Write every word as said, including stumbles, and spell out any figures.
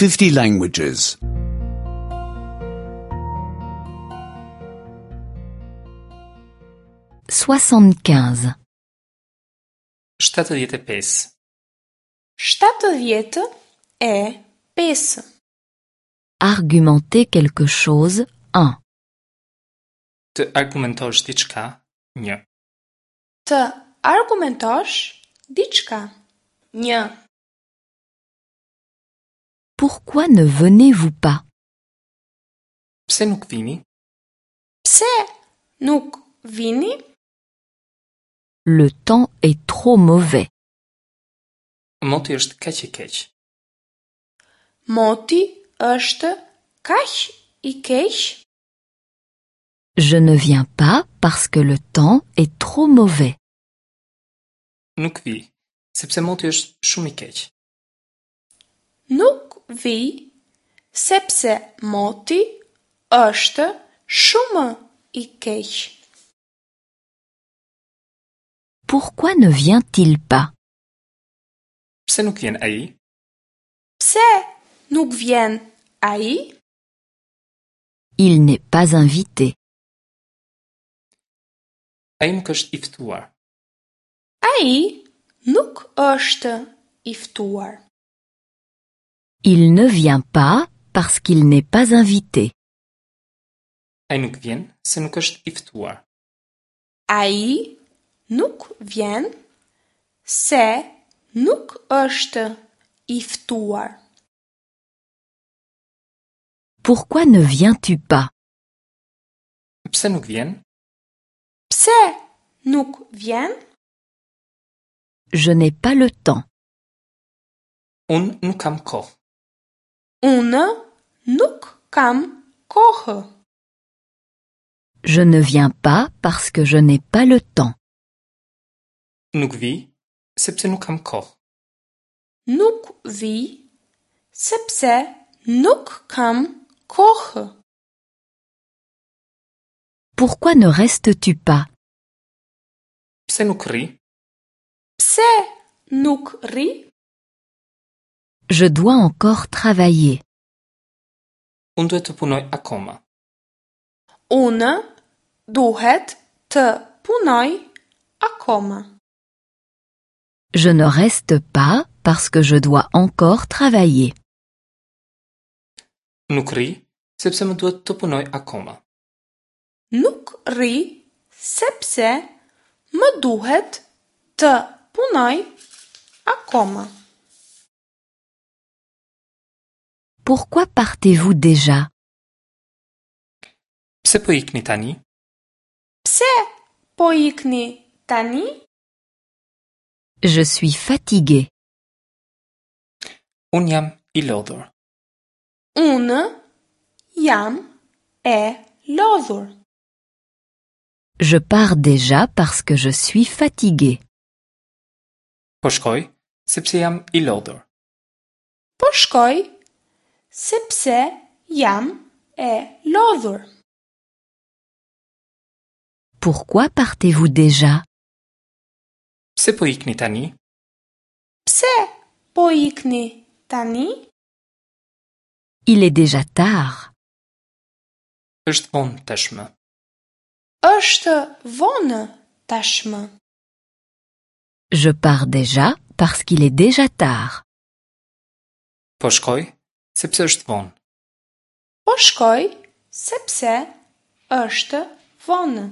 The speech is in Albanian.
fifty languages. soixante-quinze. shtatëdhjetë e pesë. Shtatëdhjetë e pesë. Argumenter quelque chose, un. Të argumentosh diçka, një. Të argumentosh diçka. Një. Pourquoi ne venez-vous pas? Pse nuk vini? Pse nuk vini? Le temps est trop mauvais. Moti është kaq i keq. Moti është kaq i keq. Je ne viens pas parce que le temps est trop mauvais. Nuk vi, sepse moti është shumë i keq. Nuk vi, sepse moti është shumë i keq. Pourquoi ne vient-il pas? Pse nuk vjen ai? Pse nuk vjen ai? Il n'est pas invité. Ai nuk është i ftuar. Ai nuk është i ftuar. Il ne vient pas parce qu'il n'est pas invité. Ai nuk vjen se nuk është i ftuar. Ai nuk vjen se nuk është i ftuar. Pourquoi ne viens-tu pas? Pse nuk vjen? Pse nuk vjen? Je n'ai pas le temps. Unë nuk kam kohë. Unë nuk kam kohë. Je ne viens pas parce que je n'ai pas le temps. Nuk vi, sepse nuk kam kohë. Nuk vi, sepse nuk kam kohë. Pourquoi ne restes-tu pas? Pse nuk rri? Pse nuk rri? Je dois encore travailler. Unë duhet të punoj akoma. Unë duhet të punoj akoma. Je ne reste pas parce que je dois encore travailler. Nuk rri, sepse më duhet të punoj akoma. Nuk rri, sepse më duhet të punoj akoma. Pourquoi partez-vous déjà? Pse po ikni tani? Pse po ikni tani? Je suis fatigué. Unë jam i lodhur. Unë jam e lodhur. Je pars déjà parce que je suis fatigué. Po shkoj, sepse jam i lodhur. Po shkoj, sepse jam e lodhur. Pourquoi partez-vous déjà? Pse po ikni tani? Pse po ikni tani? Il est déjà tard. Është vonë tashmë. Është vonë tashmë. Je pars déjà parce qu'il est déjà tard. Po shkoj, sepse është vonë. Po shkoj, sepse është vonë.